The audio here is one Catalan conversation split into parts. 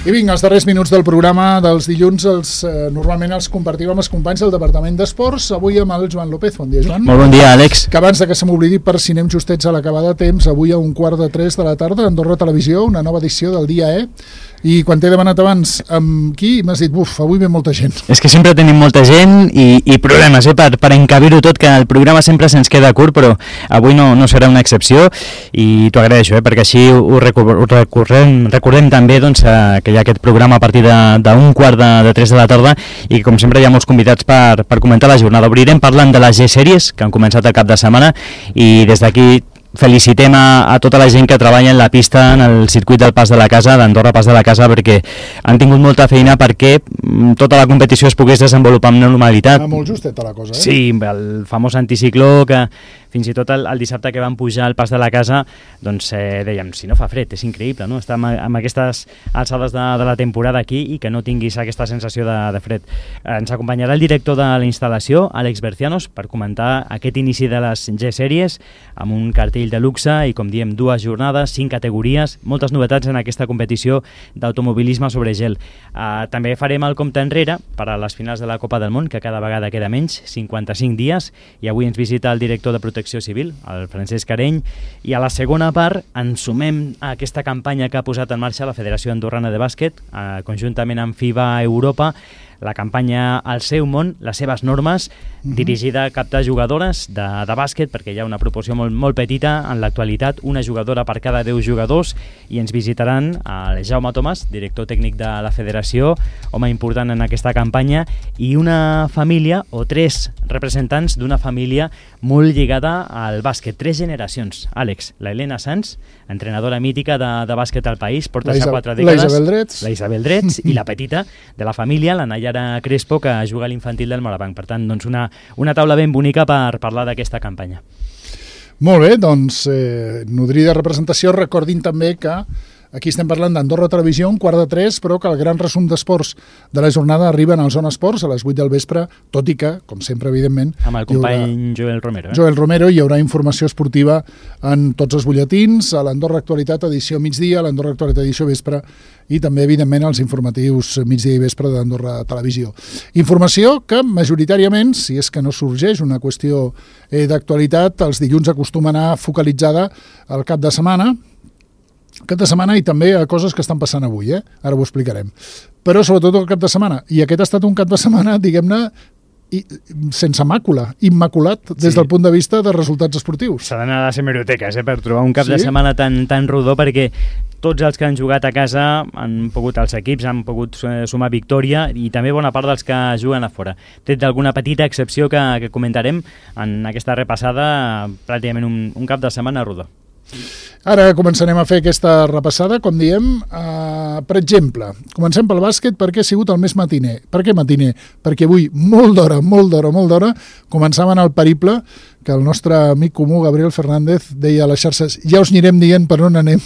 I vinga, els darrers minuts del programa dels dilluns normalment els compartim amb els companys del Departament d'Esports, avui amb el Joan López. Bon dia, Joan. Molt bon dia, Àlex. Que abans de que se m'oblidi, per si anem justets a l'acabar de temps, avui a 2:45 de la tarda, Andorra Televisió, una nova edició del Dia E. I quan t'he demanat abans amb qui, m'has dit, avui ve molta gent. És que sempre tenim molta gent i problemes, per encabir-ho tot, que el programa sempre se'ns queda curt, però avui no serà una excepció i t'ho agraeixo, perquè així ho recordem també doncs, que hi ha aquest programa a partir d'un quart de 3 de la tarda i com sempre hi ha molts convidats per comentar la jornada. Obrirem parlant de les G-Sèries que han començat el cap de setmana i des d'aquí felicitem a tota la gent que treballa en la pista, en el circuit del Pas de la Casa, d'Andorra Pas de la Casa, perquè han tingut molta feina perquè tota la competició es pogués desenvolupar amb normalitat. Molt justeta la cosa, Sí, el famós anticicló que fins i tot el dissabte que vam pujar al Pas de la Casa doncs dèiem, si no fa fred, és increïble, no? Estar amb aquestes alçades de la temporada aquí i que no tinguis aquesta sensació de fred. Ens acompanyarà el director de la instal·lació, Àlex Bercianos, per comentar aquest inici de les G-Sèries amb un cartell de luxe i, com diem, 2 jornades, 5 categories, moltes novetats en aquesta competició d'automobilisme sobre gel. També farem el compte enrere per a les finals de la Copa del Món, que cada vegada queda menys, 55 dies, i avui ens visita el director de Protecció Civil, el Francesc Areny, i a la segona part ens sumem a aquesta campanya que ha posat en marxa la Federació Andorrana de Bàsquet, conjuntament amb FIBA Europa, la campanya Al seu món, les seves normes, dirigida a captar jugadores de bàsquet, perquè hi ha una proporció molt petita en l'actualitat, una jugadora per cada 10 jugadors, i ens visitaran el Jaume Tomàs, director tècnic de la federació, home important en aquesta campanya, i una família, o 3 representants d'una família molt lligada al bàsquet, 3 generacions. Àlex, la Helena Sanz, entrenadora mítica de bàsquet al país, porta ja 4 dècades. La Isabel Drets, i la petita de la família, la Nayara Crespo, que juga a l'infantil del Morabanc. Per tant, doncs una taula ben bonica per parlar d'aquesta campanya. Molt bé, doncs, nodrida representació. Recordin també que aquí estem parlant d'Andorra Televisió, 2:45, però que el gran resum d'esports de la jornada arriben al Zona Esports a les 8 del vespre, tot i que, com sempre, evidentment... Amb el company Joel Romero. Joel Romero, hi haurà informació esportiva en tots els butlletins, a l'Andorra Actualitat edició migdia, a l'Andorra Actualitat edició vespre i també, evidentment, als informatius migdia i vespre d'Andorra Televisió. Informació que, majoritàriament, si és que no sorgeix una qüestió d'actualitat, els dilluns acostuma a anar focalitzada al cap de setmana i també a coses que estan passant avui, ara ho explicarem. Però sobretot el cap de setmana. I aquest ha estat un cap de setmana, diguem-ne, sense màcula, immaculat des del punt de vista de resultats esportius. S'ha d'anar a les hemeroteques per trobar un cap de setmana tan rodó, perquè tots els que han jugat a casa els equips han pogut sumar victòria i també bona part dels que juguen a fora. Tret d'alguna petita excepció que comentarem en aquesta repassada, pràcticament un cap de setmana rodó. Ara començarem a fer aquesta repassada, com diem, per exemple, comencem pel bàsquet perquè ha sigut el més matiner. Per què matiner? Perquè avui, molt d'hora, començaven el periple que el nostre amic comú, Gabriel Fernández, deia a les xarxes, ja us anirem dient per on anem,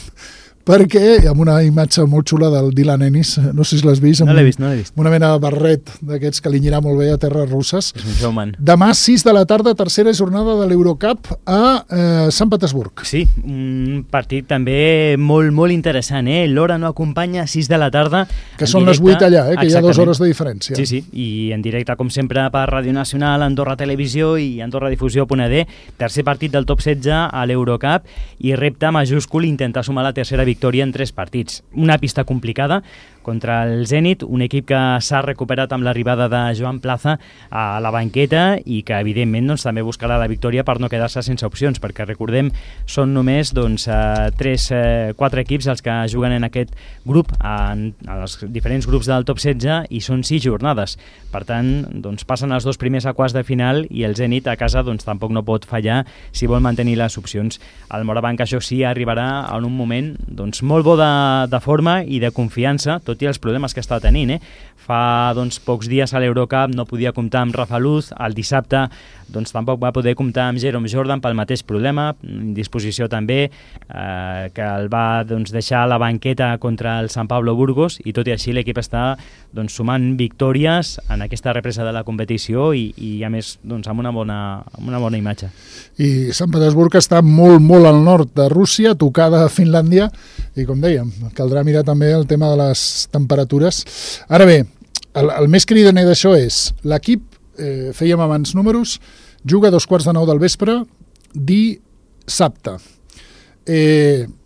perquè amb una imatge molt xula del Dylan Ennis, no sé si l'has vist, no l'he vist. Una mena de barret d'aquests que li anirà molt bé a terres russes. És un showman. Demà, 6 de la tarda, tercera jornada de l'Eurocup a Sant Petersburg. Sí, un partit també molt interessant, l'hora no acompanya, 6 de la tarda. Que són les 8 allà, que hi ha 2 hores de diferència. Sí, i en directe, com sempre, per Ràdio Nacional, Andorra Televisió i AndorraDifusió.d, tercer partit del top 16 a l'Eurocup i repte majúscul intentar sumar la tercera victòria en 3 partits. Una pista complicada contra el Zenit, un equip que s'ha recuperat amb l'arribada de Joan Plaza a la banqueta i que evidentment doncs, també buscarà la victòria per no quedar-se sense opcions, perquè recordem són només 4 equips els que juguen en aquest grup, en els diferents grups del top 16, i són 6 jornades. Per tant, doncs, passen els 2 primers a quarts de final i el Zenit a casa doncs, tampoc no pot fallar si vol mantenir les opcions. El Morabanc, això sí, arribarà en un moment doncs, molt bo de forma i de confiança, tot i els problemes que està tenint. Fa pocs dies a l'Eurocup no podia comptar amb Rafa Luz, el dissabte doncs, tampoc va poder comptar amb Jerome Jordan pel mateix problema, indisposició també, que el va deixar a la banqueta contra el Sant Pablo Burgos, i tot i així l'equip està sumant victòries en aquesta represa de la competició i a més amb una bona imatge. I Sant Petersburg està molt al nord de Rússia, tocada a Finlàndia, i com dèiem, caldrà mirar també el tema de les temperatures. Ara bé, el més cridaner d'això és l'equip, fèiem abans números, juga a 2:45 del vespre dissabte.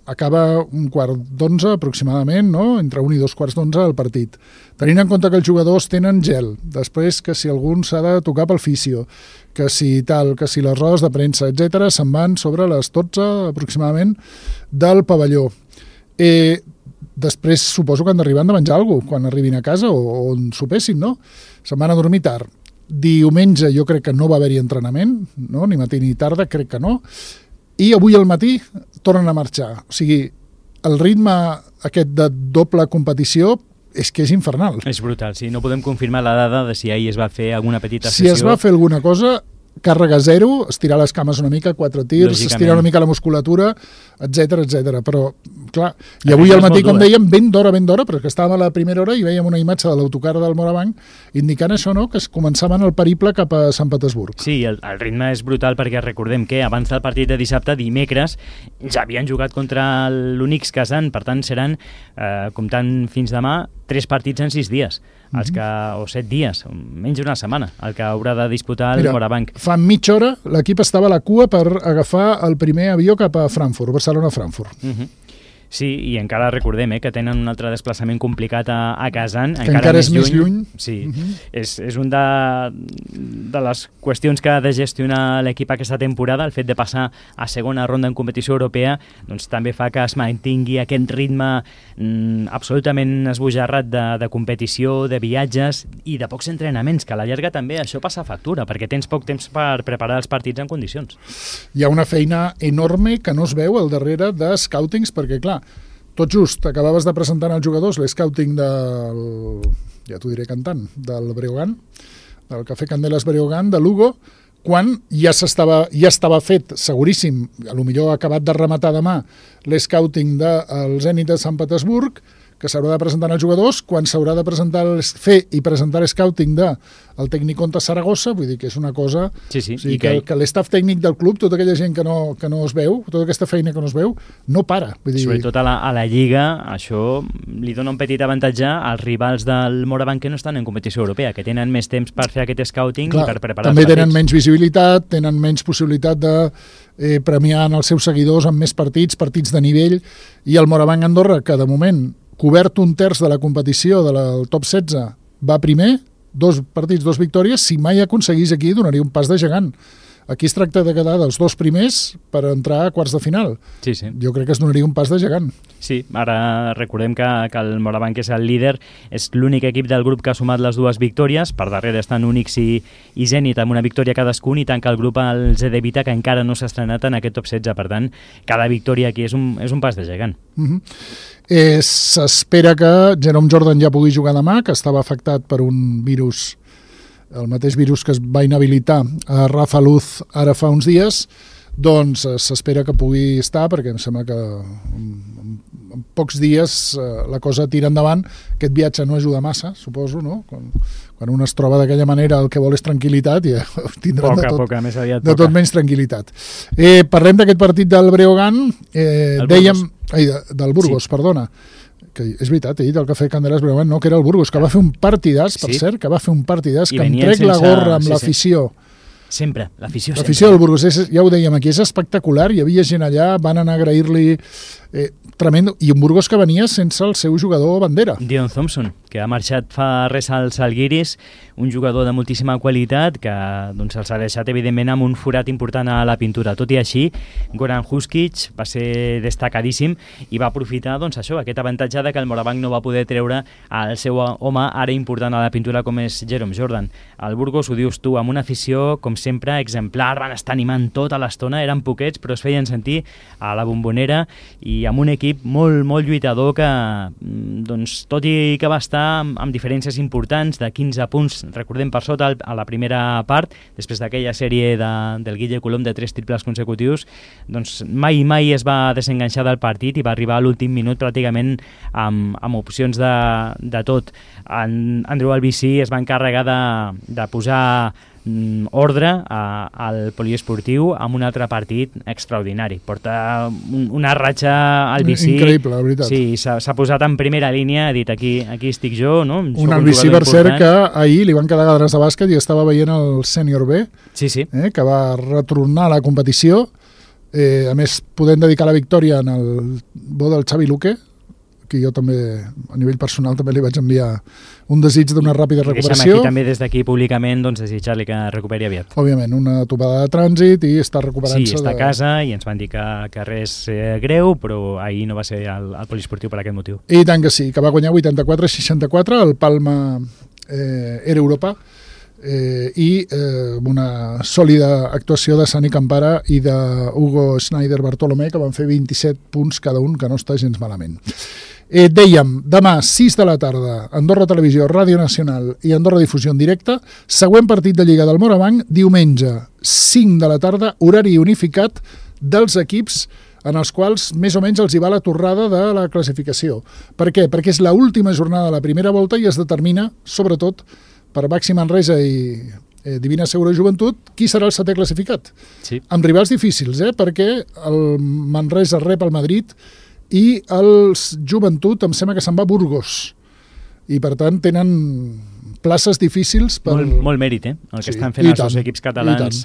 Acaba 1:15 aproximadament, no? Entre 1 i 2:15 el partit. Tenint en compte que els jugadors tenen gel, després que si algun s'ha de tocar pel fisio, que si tal, que si les rodes de premsa, etc, se'n van sobre les 12 aproximadament del pavelló. Després suposo que han d'arribar de menjar alguna cosa quan arribin a casa o on sopessin, no? Se'n van a dormir tard. Diumenge jo crec que no va haver-hi entrenament, no? Ni matí ni tarda, crec que no. I avui al matí tornen a marxar. O sigui, el ritme aquest de doble competició és que és infernal. És brutal, sí. No podem confirmar la dada de si ahir es va fer alguna petita sessió. Si es va fer alguna cosa, càrrega zero, estirar les cames una mica, 4 tirs, estirar una mica la musculatura, etc etc. Però, clar, i avui al matí, com dèiem, ben d'hora, perquè estàvem a la primera hora i vèiem una imatge de l'autocar del Morabanc indicant això, no?, que es començaven el periple cap a Sant Petersburg. Sí, el ritme és brutal perquè recordem que abans del partit de dissabte, dimecres, ja havien jugat contra l'Unix Kazan, per tant seran, comptant fins demà, 3 partits en 6 dies, o 7 dies, menys d'una setmana, el que haurà de disputar el Morabanc. Fa mitja hora l'equip estava a la cua per agafar el primer avió cap a Frankfurt, Barcelona-Frankfurt. Sí, i encara recordem que tenen un altre desplaçament complicat a Kazan, que encara és més lluny. Sí, és un de les qüestions que ha de gestionar l'equip aquesta temporada, el fet de passar a segona ronda en competició europea, doncs també fa que es mantingui aquest ritme absolutament esbojarrat de competició, de viatges i de pocs entrenaments, que a la llarga també això passa factura, perquè tens poc temps per preparar els partits en condicions. Hi ha una feina enorme que no es veu al darrere de scoutings, perquè clar, tot just acabaves de presentar als jugadors l'escouting del, ja t'ho diré cantant, del Breogán, del Cafè Candelas Breogán, de Lugo, quan ja estava fet, seguríssim, a lo millor ha acabat de rematar demà l'escouting del Zenit de Sant Petersburg, que s'haurà de presentar als jugadors, quan s'haurà de fer i presentar l'escouting del Tecnicón de Saragossa, vull dir que és una cosa... Sí, o sigui, que l'estaf tècnic del club, tota aquella gent que no es veu, tota aquesta feina que no es veu, no para. Vull dir... Sobretot a la Lliga, això li dona un petit avantatge als rivals del Morabanc que no estan en competició europea, que tenen més temps per fer aquest scouting i per preparar també tenen menys visibilitat, tenen menys possibilitat de premiar els seus seguidors amb més partits de nivell, i el Morabanc Andorra, que de moment cobert 1/3 de la competició del top 16, va primer, 2 partits, 2 victòries. Si mai aconseguís aquí, donaria un pas de gegant. Aquí es tracta de quedar dels 2 primers per entrar a quarts de final. Sí. Jo crec que es donaria un pas de gegant. Sí, ara recordem que el Morabanc és el líder, és l'únic equip del grup que ha sumat les 2 victòries, per darrere estan Unix i Zenit amb una victòria cadascun, i tanca el grup el ZD Vita, que encara no s'ha estrenat en aquest top 16, per tant, cada victòria aquí és un pas de gegant. S'espera que Jerome Jordan ja pugui jugar demà, que estava afectat per un virus, el mateix virus que es va inhabilitar a Rafa Luz ara fa uns dies, doncs s'espera que pugui estar, perquè em sembla que en pocs dies la cosa tira endavant. Aquest viatge no ajuda massa, suposo, no? Quan un es troba d'aquella manera, el que vol és tranquil·litat, i tindran de tot menys tranquil·litat. Parlem d'aquest partit del Breogán, del Burgos, perdona, que és veritat, he dit el Cafè Candelas Breogán, no, que era el Burgos, que va fer un partidàs, per cert, que em trec la gorra amb l'afició. Sempre, l'afició del Burgos, ja ho dèiem aquí, és espectacular, hi havia gent allà, van anar a agrair-li, tremendo, i un Burgos que venia sense el seu jugador bandera. Dion Thompson, que ha marxat fa res als Žalgiris, un jugador de moltíssima qualitat que se'ls ha deixat evidentment amb un forat important a la pintura. Tot i així, Goran Huskic va ser destacadíssim i va aprofitar això, aquest avantatge de que el Morabanc no va poder treure el seu home ara important a la pintura com és Jerome Jordan. El Burgos, ho dius tu, amb una afició com sempre exemplar, van estar animant tota l'estona, eren poquets però es feien sentir a la Bombonera, i amb un equip molt, molt lluitador que, tot i que va estar amb diferències importants de 15 punts, recordem, per sota a la primera part, després d'aquella sèrie del Guille Colom de 3 triples consecutius, mai es va desenganxar del partit i va arribar a l'últim minut pràcticament amb opcions de tot. Andrew Albisí es va encarregar de posar ordre al poliesportiu amb un altre partit extraordinari. Porta una ratxa Albicí... Increïble, la veritat. Sí, s'ha posat en primera línia, ha dit aquí estic jo, no? Un Albicí, per cert, que ahir li van quedar gadres de bàsquet i estava veient el sènior B, sí. Que va retornar a la competició, a més podent dedicar la victòria en el bo del Xavi Luque, que jo també, a nivell personal, també li vaig enviar un desig d'una ràpida recuperació. Deixem aquí també des d'aquí públicament desitjar-li que recuperi aviat. Òbviament, una topada de trànsit i està recuperant-se. Sí, està a casa i ens van dir que res greu, però ahir no va ser al poliesportiu per aquest motiu. I tant que sí, que va guanyar 84-64 el Palma Era Europa, i una sòlida actuació de Sani Campara i d'Hugo Schneider Bartolomé, que van fer 27 punts cada un, que no està gens malament. Dèiem, demà 6 de la tarda, Andorra Televisió, Ràdio Nacional i Andorra Difusió en directe, següent partit de Lliga del Morabanc, diumenge 5 de la tarda, horari unificat dels equips en els quals més o menys els hi va la torrada de la classificació. Per què? Perquè és l'última jornada de la primera volta i es determina, sobretot, per Baxi Manresa i Divina Segura Joventut, qui serà el setè classificat. Sí. Amb rivals difícils, perquè el Manresa rep el Madrid i el Joventut em sembla que se'n va a Burgos. I, per tant, tenen places difícils per... Molt mèrit, el que estan fent els dos equips catalans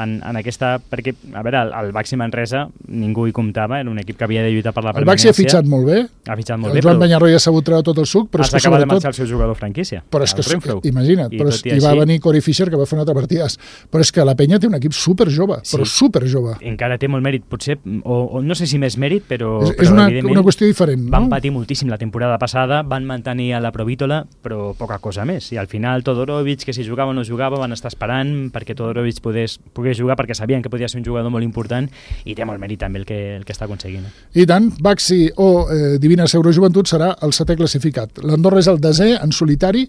en aquesta... Perquè, a veure, el Baxi Manresa ningú hi comptava, era un equip que havia de lluitar per la permanència. El Baxi ha fitxat molt bé. El Joan Penyarroia s'ha sabut treure tot el suc, però és que acaba de marxar el seu jugador franquícia. Però és que, imagina't, i va venir Corey Fisher, que va fer un altre partidàs. Però és que la Penya té un equip superjove, però superjove. Encara té molt mèrit, potser, o no sé si més mèrit, però és una qüestió diferent. Van patir moltíssim la temporada passada, van mantenir a la Provítola, però poca cosa més. I al final Todorovic, que si jugava o no jugava, van estar esperant perquè Todorovic pogués jugar, perquè sabien que podia ser un jugador molt important, i té molt mèrit també el que està aconseguint. I tant, Baxi o Divina Segura Joventut serà el setè classificat. L'Andorra és el desè en solitari,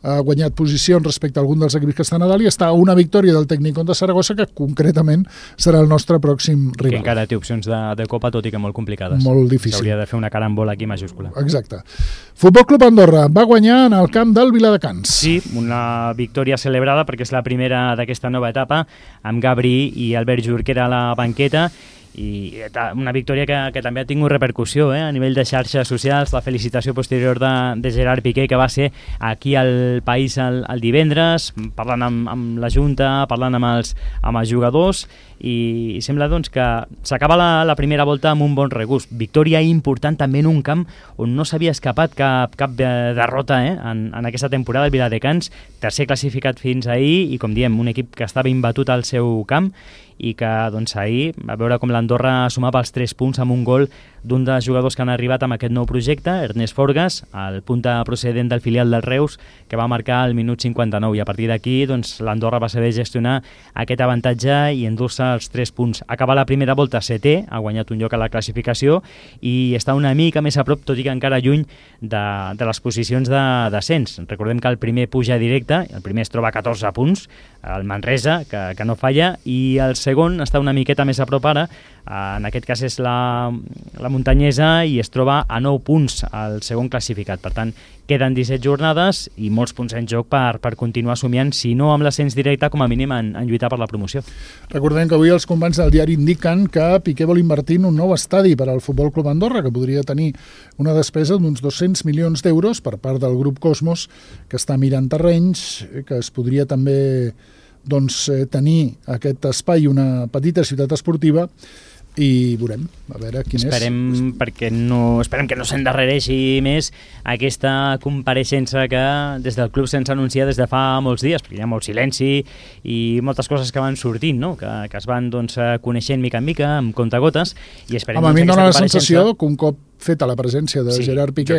ha guanyat posicions respecte a algun dels equips que estan a dalt i està a una victòria del Tecnicón de Saragossa, que concretament serà el nostre pròxim rival. Que encara té opcions de Copa, tot i que molt complicades. Molt difícil. S'hauria de fer una carambola aquí majúscula. Exacte. Futbol Club Andorra va guanyar en el camp del Viladecans. Sí, una victòria celebrada perquè és la primera d'aquesta nova etapa, amb Gabri i Albert Jorquera a la banqueta, i una victòria que també ha tingut repercussió a nivell de xarxes socials. La felicitació posterior de Gerard Piqué, que va ser aquí al País el divendres, parlant amb la Junta, parlant amb els jugadors, i sembla doncs que s'acaba la primera volta amb un bon regust. Victòria important també en un camp on no s'havia escapat cap derrota en aquesta temporada. El Viladecans, tercer classificat fins ahir, i com diem, un equip que estava imbatut al seu camp, i que doncs ahir, a veure com l'Andorra sumava els 3 punts amb un gol d'un dels jugadors que han arribat amb aquest nou projecte, Ernest Forgas, el punta procedent del filial del Reus, que va marcar al minut 59, i a partir d'aquí doncs, l'Andorra va saber gestionar aquest avantatge i endur-se els 3 punts. Acaba la primera volta setè, ha guanyat un lloc a la classificació i està una mica més a prop, tot i que encara lluny de les posicions de descens. Recordem que el primer puja directe, el primer es troba a 14 punts, el Manresa, que no falla, i el segon està una miqueta més a prop ara, en aquest cas és la Muntanyesa, i es troba a 9 punts al segon classificat. Per tant, queden 17 jornades i molts punts en joc per continuar somiant, si no amb l'ascens directe, com a mínim en lluitar per la promoció. Recordem que avui els companys del diari indiquen que Piqué vol invertir en un nou estadi per al Futbol Club Andorra, que podria tenir una despesa d'uns 200 milions d'euros per part del grup Cosmos, que està mirant terrenys, que es podria també tenir aquest espai, una petita ciutat esportiva, i veurem, a veure quin esperem que no s'endarrereixi més aquesta compareixença que des del club se'ns anuncia des de fa molts dies, perquè hi ha molt silenci i moltes coses que van sortint, no? que es van coneixent mica en mica, amb comptagotes, i esperem a mi em dóna la sensació que un cop feta la presència de Gerard Piqué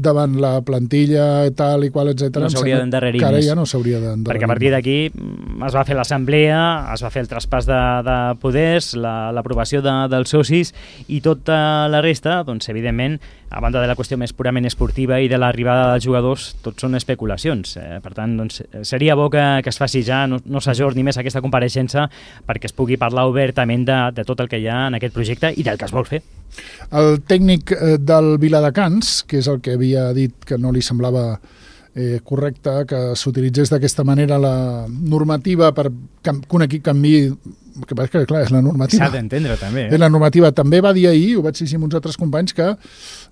davant la plantilla tal i qual, etc. No s'hauria d'endarrerir més. Ja no s'hauria d'endarrerir. Perquè a partir d'aquí es va fer l'assemblea, es va fer el traspàs de poders, l'aprovació dels socis, i tota la resta, doncs evidentment, a banda de la qüestió més purament esportiva i de l'arribada dels jugadors, tot són especulacions. Per tant, doncs, seria bo que es faci ja, no s'ajorni més aquesta compareixença, perquè es pugui parlar obertament de tot el que hi ha en aquest projecte i del que es vol fer. El tècnic del Viladecans, que és el que havia dit que no li semblava correcte que s'utilitzés d'aquesta manera la normativa per que un equip canviï, que pareix que, clar, és la normativa. S'ha d'entendre, també. La normativa també va dir ahir, ho vaig dir amb uns altres companys, que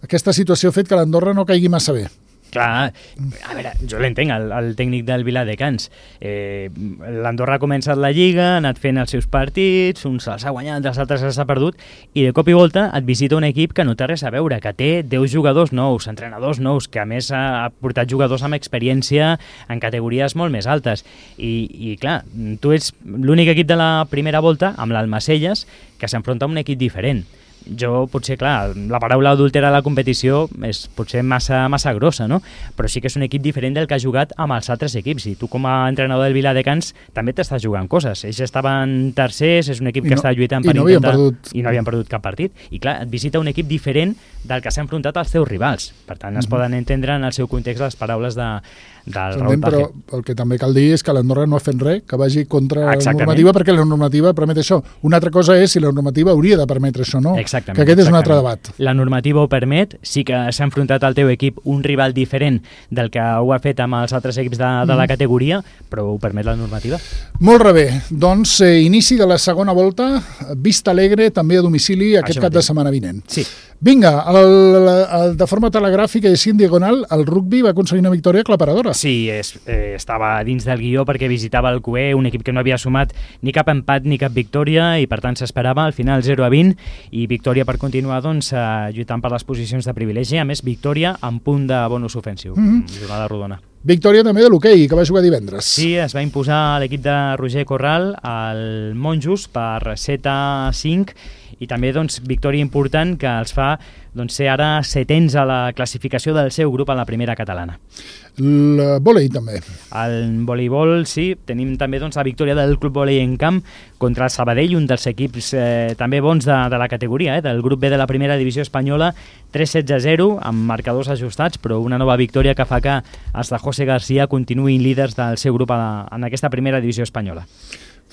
aquesta situació ha fet que l'Andorra no caigui massa bé. Clar, a veure, jo l'entenc, el tècnic del Viladecans. L'Andorra ha començat la Lliga, ha anat fent els seus partits, uns se'ls ha guanyat, els altres se'ls ha perdut, i de cop i volta et visita un equip que no té res a veure, que té 10 jugadors nous, entrenadors nous, que a més ha portat jugadors amb experiència en categories molt més altes. I clar, tu ets l'únic equip de la primera volta, amb l'Almacelles, que s'enfronta a un equip diferent. Jo, potser, clar, la paraula adultera a la competició és potser massa grossa, no? Però sí que és un equip diferent del que ha jugat amb els altres equips, i tu com a entrenador del Viladecans també t'estàs jugant coses. Ells estaven tercers, és un equip que està lluitant per intentar... I no havien perdut cap partit. I clar, et visita un equip diferent del que s'ha enfrontat als seus rivals. Per tant, es poden entendre en el seu context les paraules del Raúl Page. Però el que també cal dir és que l'Andorra no ha fet res que vagi contra la normativa, perquè la normativa permet això. Una altra cosa és si la normativa hauria de permetre això, no? Exactament. Que aquest és un altre debat. La normativa ho permet, sí que s'ha enfrontat al teu equip un rival diferent del que ho ha fet amb els altres equips de la categoria, però ho permet la normativa. Molt bé, doncs inici de la segona volta, Vista Alegre també a domicili aquest cap de setmana vinent. Sí. Vinga, de forma telegràfica i així en diagonal, el rugby va aconseguir una victòria aclaparadora. Sí, estava dins del guió perquè visitava el QE, un equip que no havia sumat ni cap empat ni cap victòria, i per tant s'esperava al final 0-20, i victòria per continuar lluitant per les posicions de privilegi. A més, victòria amb punt de bonus ofensiu, jornada rodona. Victòria també de l'hoquei, que va jugar divendres. Sí, es va imposar l'equip de Roger Corral al Monjos per 7-5, i també victòria important que els fa ser ara setens a la classificació del seu grup a la primera catalana. El vòlei també. El voleibol, sí, tenim també la victòria del Club Vòlei en Camp contra el Sabadell, un dels equips també bons de la categoria, del grup B de la primera divisió espanyola, 3-16-0, amb marcadors ajustats, però una nova victòria que fa que els de José García continuïn líders del seu grup en aquesta primera divisió espanyola.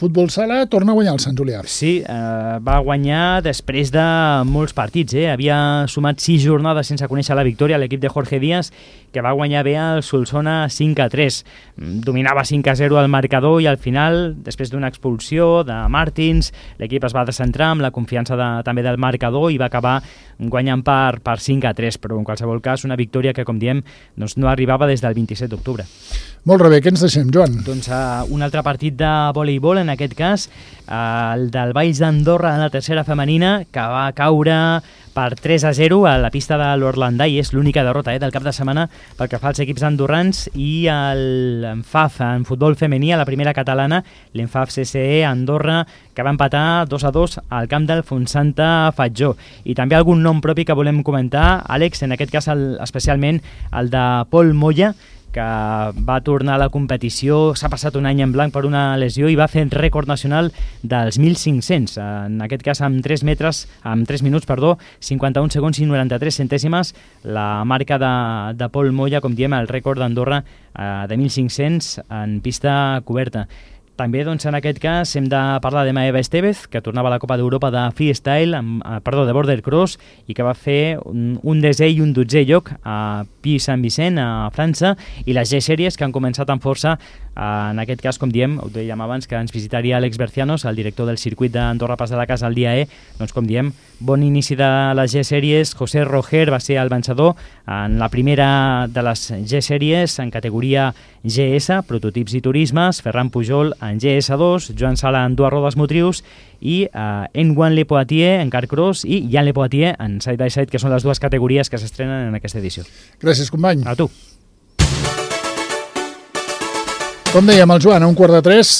Futbol sala torna a guanyar el Sant Julià. Sí, va guanyar després de molts partits. Havia sumat 6 jornades sense conèixer la victòria l'equip de Jorge Díaz, que va guanyar bé el Solsona 5-3. Dominava 5-0 al marcador, i al final, després d'una expulsió de Martins, l'equip es va descentrar amb la confiança també del marcador i va acabar guanyant per 5-3, però en qualsevol cas una victòria que, com diem, no arribava des del 27 d'octubre. Molt bé, què ens deixem, Joan? Doncs un altre partit de voleibol, en aquest cas el del Valls d'Andorra a la tercera femenina, que va caure per 3-0 a la pista de l'Orlandai. És l'única derrota del cap de setmana pel que fa als equips andorrans. I l'ENFAF en futbol femení a la primera catalana, l'ENFAF CCE Andorra, que va empatar 2-2 al camp del Fontsanta Fatjó. I també algun nom propi que volem comentar, Àlex, en aquest cas especialment el de Pol Moya, que va tornar a la competició, s'ha passat un any en blanc per una lesió i va fer el rècord nacional dels 1.500, en aquest cas amb 3 minuts, 51 segons i 93 centèsimes, la marca de Pol Moya, com diem, el rècord d'Andorra de 1.500 en pista coberta. També, en aquest cas, hem de parlar de Maeva Estevez, que tornava a la Copa d'Europa de freestyle, de border cross, i que va fer un 10è i un 12è lloc a Puy-Saint-Vicent, a França, i les G-Series, que han començat amb força, en aquest cas, com diem, ho dèiem abans, que ens visitaria Àlex Bercianos, el director del circuit d'Andorra Pas de la Casa al dia E. Doncs, com diem, bon inici de les G-Series. José Roger va ser el vencedor en la primera de les G-Series en categoria GS, prototips i turismes, Ferran Pujol en GS2, Joan Sala en dues rodes motrius, i Antoine Lepoitier en car cross i Jan Lepoitier en side by side, que són les dues categories que s'estrenen en aquesta edició. Gràcies, company. A tu. Com dèiem, el Joan, a 2:45